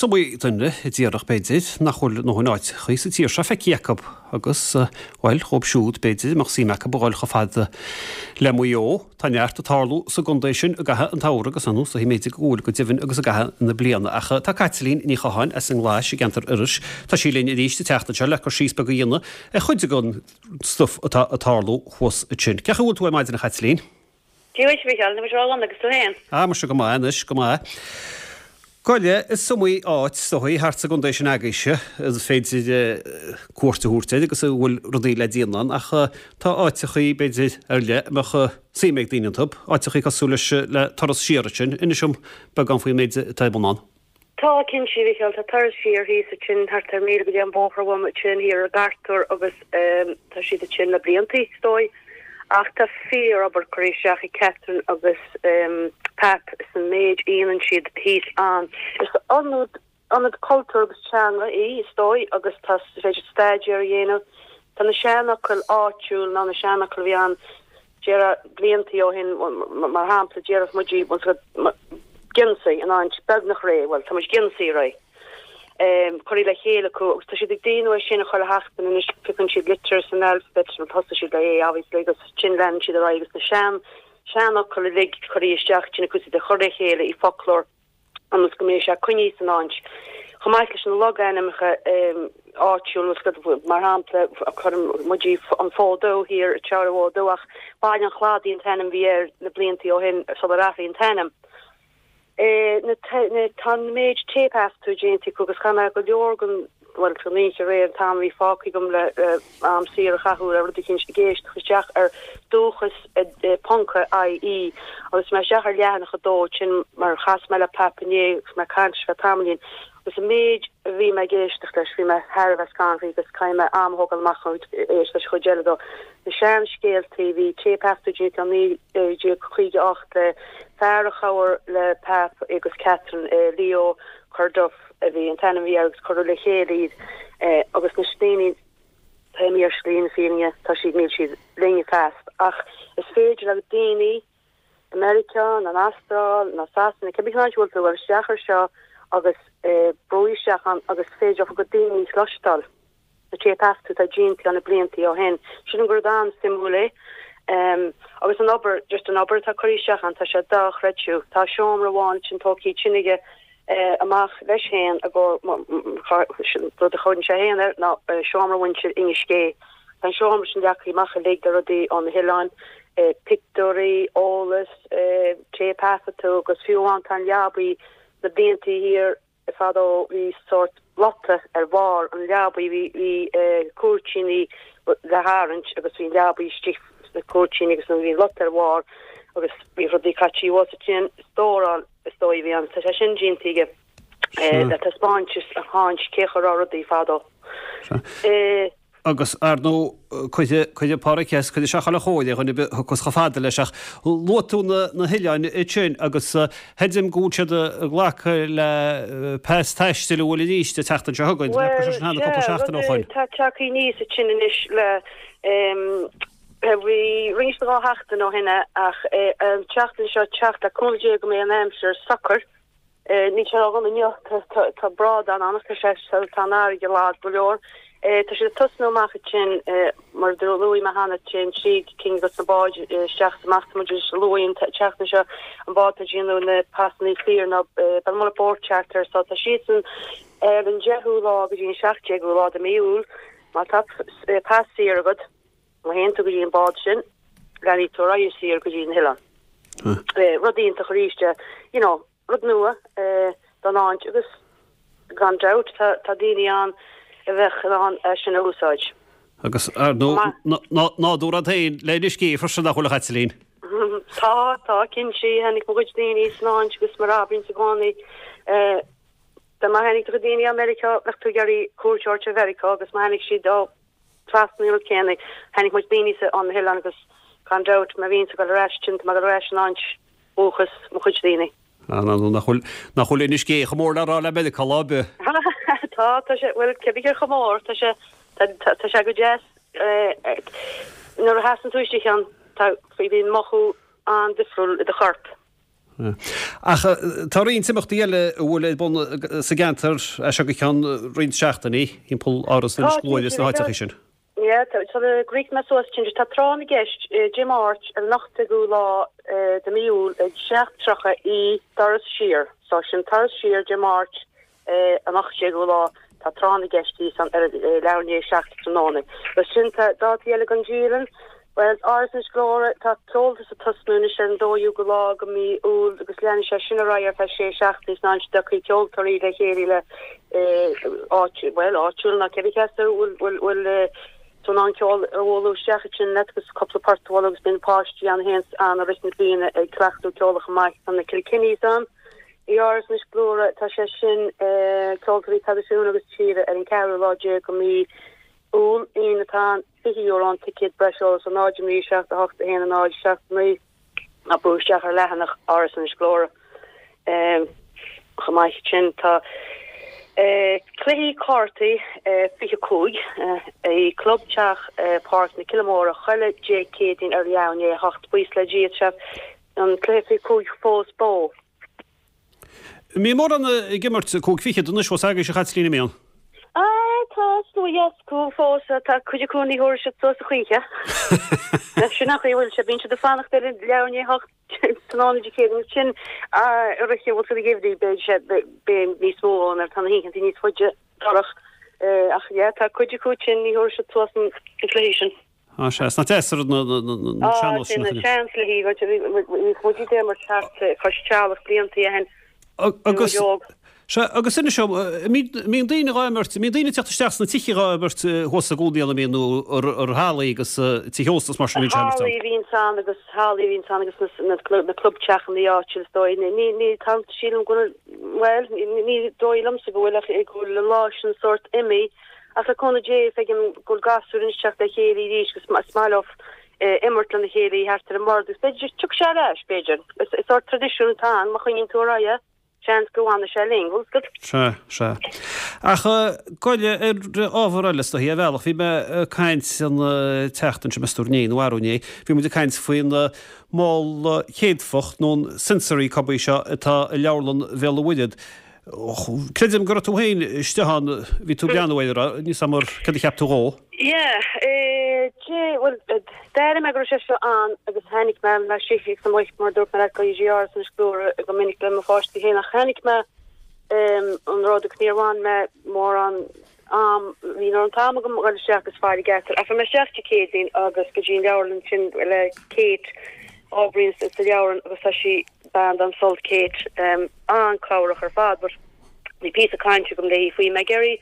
iomaí duine a déarfadh, b'fhéidir, nach bhfuil a ndóthain áiteachaí sa tír seo feicthe acu agus, bhuel, dhóibh siúd, b'fhéidir, a mbeadh suim acu a dhul chomh fada le Maigh Eo. Tá neart ag tarlú sa gcontae sin i gcaitheamh an tsamhraidh agus, ar ndóigh, b'fhéidir go bhfuil go deimhin agus i gcaitheamh na bliana. Ach tá Caitlín Ní Chatháin as an nGlais i gceantar Iorrais, tá sí linn arís an tseachtain seo le cur síos beag a dhéanamh ar chuid den stuif atá ag tarlú thuas ansin. Cén chaoi a bhfuil tú ar maidin, a Chaitlín? Dia dhuit, a Mhícheáil, tá mise ró-dhona agus tú fhéin? Ah, muise go maith anois, go maith. Gabh i leith, is iomaí áit, is dóigh, thart sa gcontae sin agaibhse is féidir cuairt a thabhairt air agus a bhfuil rudaí le déanamh ann, ach tá áiteachaí, b'fhéidir, ar leith a mbeadh suim ag daoine iontu, áiteachaí cosúil leis, le Turas Siar ansin. Inis dom beagán faoin méid atá ar bun ann. Tá, cinnte, a Mhícheáil, tá Turas Siar thíos ansin, thart ar mhíle go dtí an bóthar uaim ansin, thiar i gCartúr agus tá siad ansin le bliantaí, is dóigh. Ach tá fíor-obair curtha isteach ag Catherine agus Pap san méid a dhéanann siad thíos ann. Is ionad, ionad cultúir agus teanga í, is dóigh, agus tá, is féidir staidéar a dhéanamh. Tá na seanfhocail áitiúil ná na seanfhocail a bhí ann Déarfá bliantaí ó shin, mar shampla, déarfadh muid geansaí in áit beagnach réidh, bhuel, tá muid geansaí réidh. Curtha le chéile acu agus tá siad ag déanamh é sin chuile sheachtain anois, piocann siad litir san alphabet, bhuel, thosaigh siad le A obviously agus ansin leanann siad ar aghaidh agus na sean, seanfhocail uilig curtha isteach ansin acu, iad a chur le chéile i foclóir. ionas go mbeidh sé coinnithe san áit. Chomh maith leis na logainmneacha áitiúla, mar shampla, cuireann muid an Fód Dubh thiar, Tear an Fhóid Dubh, ach Baile an Chladaigh an t-ainm a bhí air na bliantaí ó shin sular athraíodh an t-ainm. Tá an méid téipthaifeadtaí déanta acu agus chaith mé go leor den bhuel, san oíche aréir, an t-am a bhí fágtha agam le am saor a chaitheamh le rud eicínt ag éisteacht isteach ar dúchas ponc IE agus mé isteach ar leathanach a dó sin mar chas mé le Pap inné agus mé ag caint leis feadh tamaillín agus an méid a bhí mé ag éisteacht leis bhí mé thar a bheith scanraithe agus caithfidh mé am a thógáil amach chun éisteacht leis an chuid eile dó. Na seanscéaltaí, bhí téipthaifeadtaí déanta i 1958 le fear a chabhair le Pap agus Catherine, Leo Corduff. a bhí an t-ainm a bhí air agus cuireadh le chéile iad agus na daoine tá mé ar shlí na fírinne tá siad níl siad linn feasta ach is féidir le daoine i Meiriceá nó an Astráil nó Sasana cibé cén áit a bhfuil tú a dhul isteach ar seo agus brú isteach ann agus is féidir leofa go daoine a chloisteáil. na téipthaifeadtaí atá déanta ann na bliantaí ó shin. Sílim gur rud an-suimiúil é. Agus an obair, just an obair atá curtha isteach ann, tá sé dochreidte. Tá seomra amháin ansin tógtha ansin aige amach leis féin i gcomhair, rud a chuireann sé féin air ná seomra mhuintir Inis Gé. Tá an seomra sin leagtha amach uilig le rudaí ó na hoileáin, pictiúirí, eolas, téipthaifeadtaí agus fiú amháin tá an leabaidh na bliantaí thiar, Fadó bhí sórt lota ar bharr an leabaidh bhí bhí cúirtíní le tharraingt agus bhí an leabaidh istigh sna cúirtíní agus bhí an lota ar bharr agus bhí rudaí caití thuas ansin stóráil is dóigh a bhí ann. Tá sé sin déanta aige le taispeáint is a thaispeáint cé chaoi a raibh rudaí fadó. Agus, ar ndóigh, cuirfidh, cuirfidh Páraic as, cuirfidh sé chuile chóir ar dhuine ar bith a thiocfas chomh fada leis. Ach luaigh tú na, na hoileáin ansin agus chreidim go bhfuil siad ag glacadh le pas taistil an bhfuil arís an tseachtain seo chugainn. Bhuel, sea, cúpla seachtain ó rud shoin. atá tagtha aníos ansin anois le, bhí roinnt de dha sheachtain ó shin ach an tseachtain seo teacht le cúnamh Dé go mbeidh an aimsir socair. Níl sé ródhona inniu, tá brádán ann ach tá sé, tá an fharraige lag go leor. Tá siad ag tosnú amach ansin, mar a luaigh mé cheana, téann trí cinn de na báid isteach is amach. Tá muid ag luaigh an tseachtain seo an bád atá ag déanamh na pasanna saor ná Belmullet Boat Charter so tá siadsan ar an deichiú lá go dtí an seacht déagú lá de mí Iúil. Má tá pas saor agat, Má théann tú go dtí an bád sin, leanfaidh tú ar aghaidh saor go dtí na hoileáin. Rud iontach arís é, you know, rud nua don áit agus gan dabht tá tá daoine ann a bheadh in ann é sin a úsáid. Agus, ar ndóigh, nádúr ann féin le Inis Gé freisin nach bhfuil a Chaitlín? Tá, tá, cinnte, tháinig mo chuid daoine san áit agus mar a abraímse i gcónaí, dá mba tháinig do chuid daoine ó Meiriceá, bheadh tú ag iarraidh cuairt a thabhairt ar Mheiriceá agus má tháinig siad ó Trasna an rud céanna, tháinig muid daoine sa on na hoileáin agus gan dabht má bhíonns ag dul ar ais ansin, tá mé ag dul ar ais in áit dhúchas mo chuid daoine. Ah, ná, nach bhfuil, nach bhfuil Inis Gé chomh mór le rá le Meiriceá lá ar bith. Tá, tá sé, bhuel, cé bith chomh mór, tá sé, tá, tá, tá sé go deas, eh, nuair a sheasann tú istigh ann, tá, bíonn mothú an-difriúil i do chorp. Ach tá roinnt imeachtaí eile a bhfuil ar bun sa gceantar as seo go ceann roinnt seachtainí, thimpeall Áras Inis Gluaire is na háiteachaí sin. Yeah, sula gcríochnóidh mé suas, cinnte, tá Tráth na gCeist Dé Máirt ar an 18ú lá de mí Iúil ag 7:30 i dTuras Siar. So sin Turas Siar Dé Máirt an 18ú lá, tá Tráth na gCeist thíos ann ar leathuair i ndiaidh a 7 tráthnóna. Agus sin tá dátaí eile don dialann. Bhuel, Áras Inis Gluaire, tá ceoltas ag tosnú anois ar an 12ú lá de mí Iúil agus leanfaidh sé sin ar aghaidh ar feadh sé seachtainí is ansin tiocfaidh ceoltóirí le chéile le áit, bhuel, áitiúil ná cébí cé as a bhfuil, bhfuil, bhfuil tú in ann ceol a bhualadh isteach ansin leat agus cúpla port a bhualadh agus bíonn páistí ann a théanns ann i rith na bliana ag cleachtadh ceoil chomh maith. Tá na Kilkennys ann i Áras Inis Gluaire, tá sé sin, ceoltóirí traidisiúnta agus tíre ar an ceathrú lá déag de mí Iúil, Aoine atá ann, €20 an ticéad, breis eolais ar 0 9 7 8 1 0 7 9 ná brú isteach ar leathanach Áras Inis Gluaire. Chomh maith sin tá cluichí cártaí 25 i Club Teach Páirc na Cille Móire chuile Dé Céadaoin ar leath i ndiaidh a 8. Buíochas le Dia tá an cluiche 25 fós beo. Mbíonn mórán ag imirt 5 fichead anois fós agaibhse a Chaitlín, an mbíonn? Ah, tá slua dheas acu fós, tá cuid acu ní thabharfaidh siad suas a choíche. Sin an chaoi a bhfuil sé, bíonn siad ag fanacht ar an leathuair i ndiaidh a hocht tráthnóna Dé Céadaoin agus sin i rith an bhfuil siad ag geimhridh beidh sé beidh níos mó ann ar tá na hoícheanta níos faide dorcha ach yeah tá cuid acu sin ní thabharfaidh siad suas an cluiche sin. Á sea, is nach deas ar na sean-nós sin. Á, sin na seanchluichí, bhí muid ag imirt thart cois teallach blianta ó shin. Agus, sea, agus inis dom, mbíonn daoine dhá imirt, mbíonn daoine ag teacht isteach sna tithe dhá imirt thuas i gcónaí ann, an mbíonn, nó ar hallaí agus tithe ósta is mar sin a bhíonn sé imirt ann? Hallaí a bhíonns ann agus hallaí a bhíonns ann agus na clubteachanna áitiúil is dóigh. Ní, ní, tá, sílim go bhfuil, bhuel, ní dóigh liomsa go bhfuil ach go bhfuil an lá sin sórt imithe. Ach le cúnamh Dé, feicim go bhfuil gasúir anois ag teacht le chéile arís agus is maith leo imirt lena chéile thart ar an mbord agus b'fhéidir tiocfaidh sé ar ais, b'fhéidir. Is sórt traidisiún atá ann, má choinníonn tú ar aghaidh é, seans go bhfanfaidh sé linn, bhfuil 'fhios agat? Sea, sea. Ach goil ar ábhar eile is dóichí, ar bhealach, bhí mé ag caint an tseachtain seo, meas tú inné nó arú inné, bhí muid ag caint faoin mol céadfach nó an sensory cubby seo atá i Leabharlann Bhéal an Mhuirthead. Creidim go raibh tú féin istigh ann, bhí tú ag breathnú air, an raibh? Níl 'fhios a'm ar céard a cheap tú dhó? Yeah, dé, bhuel, d'airigh mé go raibh sé seo ann agus tháinig mé laistigh ag an amuigh mar a dúirt mé leat go dtí Áras Inis Gluaire go minic le mo pháistí féin ach chonaic mé an rud agus níor bhain mé mórán am, ní raibh an t-am agam a dhul isteach agus faire ceart air. Ach bhí mé isteach Dé Céadaoin agus go dtí an leabharlann sin le Kate a oibríonn sa leabharlann agus tá sí bean den sult Kate, an-chabhrach ar fad but bhí píosa cainte agam léi faoi. Mé ag iarraidh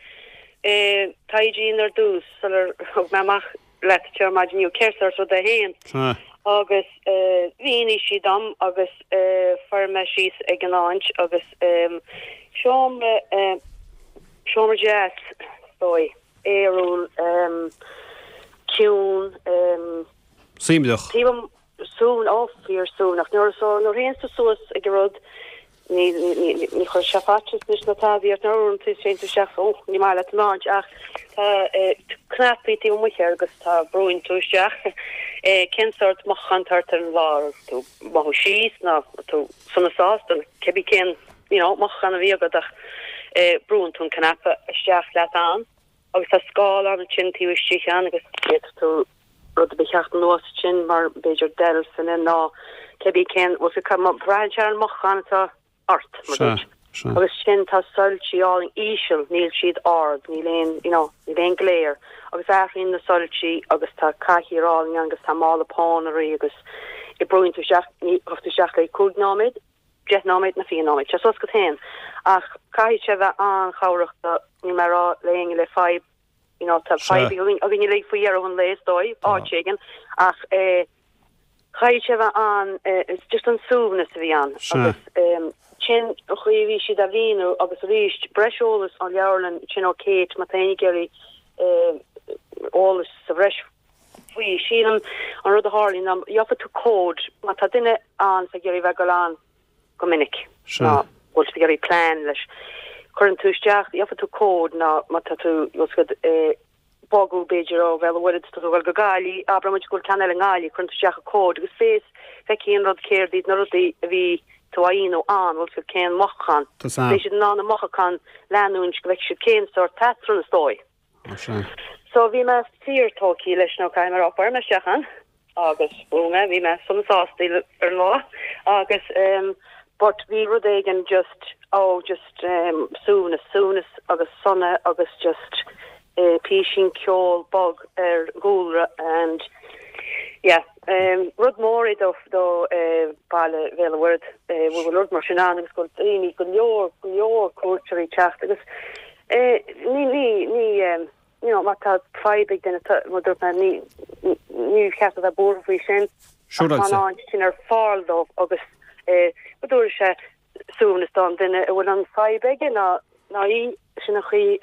taighde a dhéanamh ar dtús sular thug mé amach leat anseo ar maidin inniu cén sórt rud é féin agus mhínigh sí dom agus fuair mé síos ag an áit agus seomra seomra deas is dóigh, aerúil, ciúin. Suaimhneach. Taobh Suaimhneach, ó, fíor suaimhneach. Nuair so, nuair a théanns tú suas ag an rud, ní, ní, ní, ní chuirfidh sé faitíos anois ná tada ort, nuair a uaireanta téann tú isteach, ó, ní maith leat an áit, ach tá eh, cnaipí taobh amuigh air agus tá, brúann tú isteach eh, cén sórt mothúchán atá ort ar an lá, raibh tú mothú síos nó tú sona sásta, nó cibé cén, you know, mothúchán a bhí agat ach eh, brúann tú an cnaipe isteach leat ann. Agus tá scáileán ansin taobh istigh ann agus d'fhéadfadh tú rud ar bith a theacht anuas ansin mar b'fhéidir deilfeanna nó cibé cén, bhfuil fhios agat, braitheann sé ar an mothúchán atá ort, mar Sea, dúirt. sea. Agus sin, tá soilsí álainn íseal, níl siad ard, níl aon, you know, níl aon glare. Agus athraíonn na soilsí agus tá cathaoir álainn ann agus tá mála pónairí agus brúann tú isteach, ní, gabh tú isteach le 5 nóiméad, 10 nóiméad nó 20 nóiméad, sé suas agat féin. Ach caithfidh sé bheith an-chabhrach do, níl mé ag rá le éinne le fadhb, you know, tá Sea. fadhb againn againn uilig faoi dheireadh an lae is dóigh, áit éigin, ach eh, caithfidh sé bheith an, eh, it's just an suaimhneas a bhí ann. Sea. Agus eh, sin an chaoi a bhí siad á mhíniú agus arís, breis eolais ón leabharlann, sin ó Kate, má tá éinne ag iarraidh eh, eolas sa bhreis faoi. Sílim an rud a tharlaíonn ná gheobhaidh tú cód má tá duine ann ag iarraidh bheith ag dul ann go minic Sea. ná bhfuil tú ag iarraidh plean leis. Cuireann tú isteach, gheobhaidh tú cód ná má tá tú bhfuil 's agat ag bogadh b'fhéidir ó Bhéal an Mhuirthead tá tú ag dul go Gaillimh, abraimid go bhfuil ceann eile i nGaillimh, cuireann tú isteach an cód agus fés feicfidh an rud céard iad na rudaí a bhí. tú á dhéanamh ann, bhfuil 'fhios agat cén mothúchán, beidh siad in ann a mothúchán leanúint go bhfeicfidh siad cén sórt patrún is dóigh. So bhí mé fíor tógtha leis nó caithfidh mé a rá fuair mé isteach ann agus bhuaigh mé, bhí mé sona sásta ar an lá agus um, but bhí rud éigin just, oh just um, suaimhneas, suaimhneas agus sona agus just písín ceol bog ar an gcúlra and yeah um, rud mór é do do baile Bhéal an Mhuirthead go bhfuil rud mar sin ann agus go bhfuil daoine go leor go leor cuairteoirí ag teacht agus eh, ní ní ní um, you know, má tá fadhb ag duine mar dúirt mé ní ní cheart a bheith buartha faoi sin ach tá an áit sin ar fáil dóibh agus eh, go dtabharfaidh sé suaimhneas don duine a bhfuil an fadhb aige ná ná í, sin an chaoi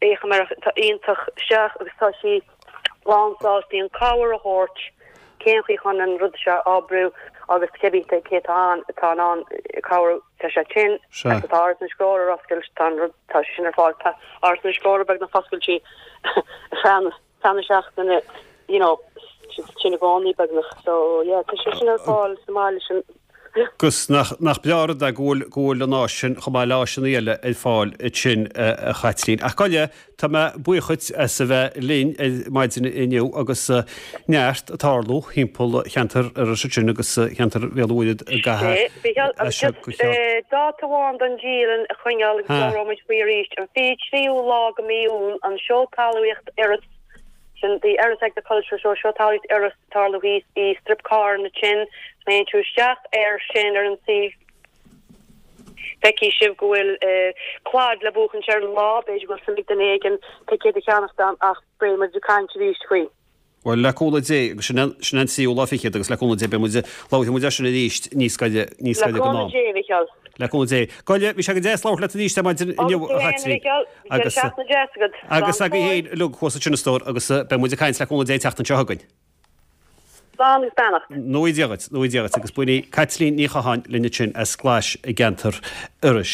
féachaim air tá iontach isteach agus tá sí lán sásta an cabhair a thabhairt cén chaoi chun an rud seo a oibriú agus cibé cé atá ann atá in ann cabhrú tá sé tinn agus tá Áras na Scór ar oscailt tá an rud tá sé sin ar fáil tá Áras na Scór beagnach oscailte feadh feadh na seachtaine you know sin i gcónaí beagnach so yeah tá sé sin ar fáil sa mbaile sin. Agus nach, nach breá an rud é go bhfuil, go bhfuil an áis sin, chomh maith le áiseanna eile ar fáil ansin, a Chaitlín. Ach gabh i leith, tá mé buíoch dhuit as a bheith linn ar maidin inniu agus neart ag tarlú thimpeall cheantar Iorrais ansin agus cheantar Bhéal an Mhuirthead i gcaitheamh as seo go ceann. Dáta amháin don dialann a choinneáil agus labhróimid faoi arís, an 23ú lá de mhí Iúil, an Seó Talmhaíocht Iorras, sin The Erris Agricultural Show, Seó Talmhaíocht Iorras, tarlú thíos i Strip Carranna ansin, má théann tú isteach air sin ar an suíomh, feicfidh sibh go bhfuil claid le buachaint ar an lá, b'fhéidir go bhfuil suim ag duine éigin ticéad a cheannacht ann ach beidh muid ag caint arís faoi. Bhuel, le cúnamh Dé, agus sin sin an tríú lá fichead agus le cúnamh Dé beidh muid, labharfaidh muid air sin arís níos gaire, níos gaire don am. Le cúnamh Dé, a Mhicheáil. Le cúnamh Dé. Gabh i leith, bhí sé go deas labhairt leat arís ar maidin inniu, a Chaitlín. Agus, seachtain deas agat. Agus agaibh féin uilig thuas ansin a stór agus beidh muid ag caint le cúnamh Dé an tseachtain seo chugainn. Slán agus beannacht. Go dté Dia dhuit, go dté Dia dhuit agus b'in í Caitlín Ní Chatháin linn ansin as Glais i gceantar Iorrais.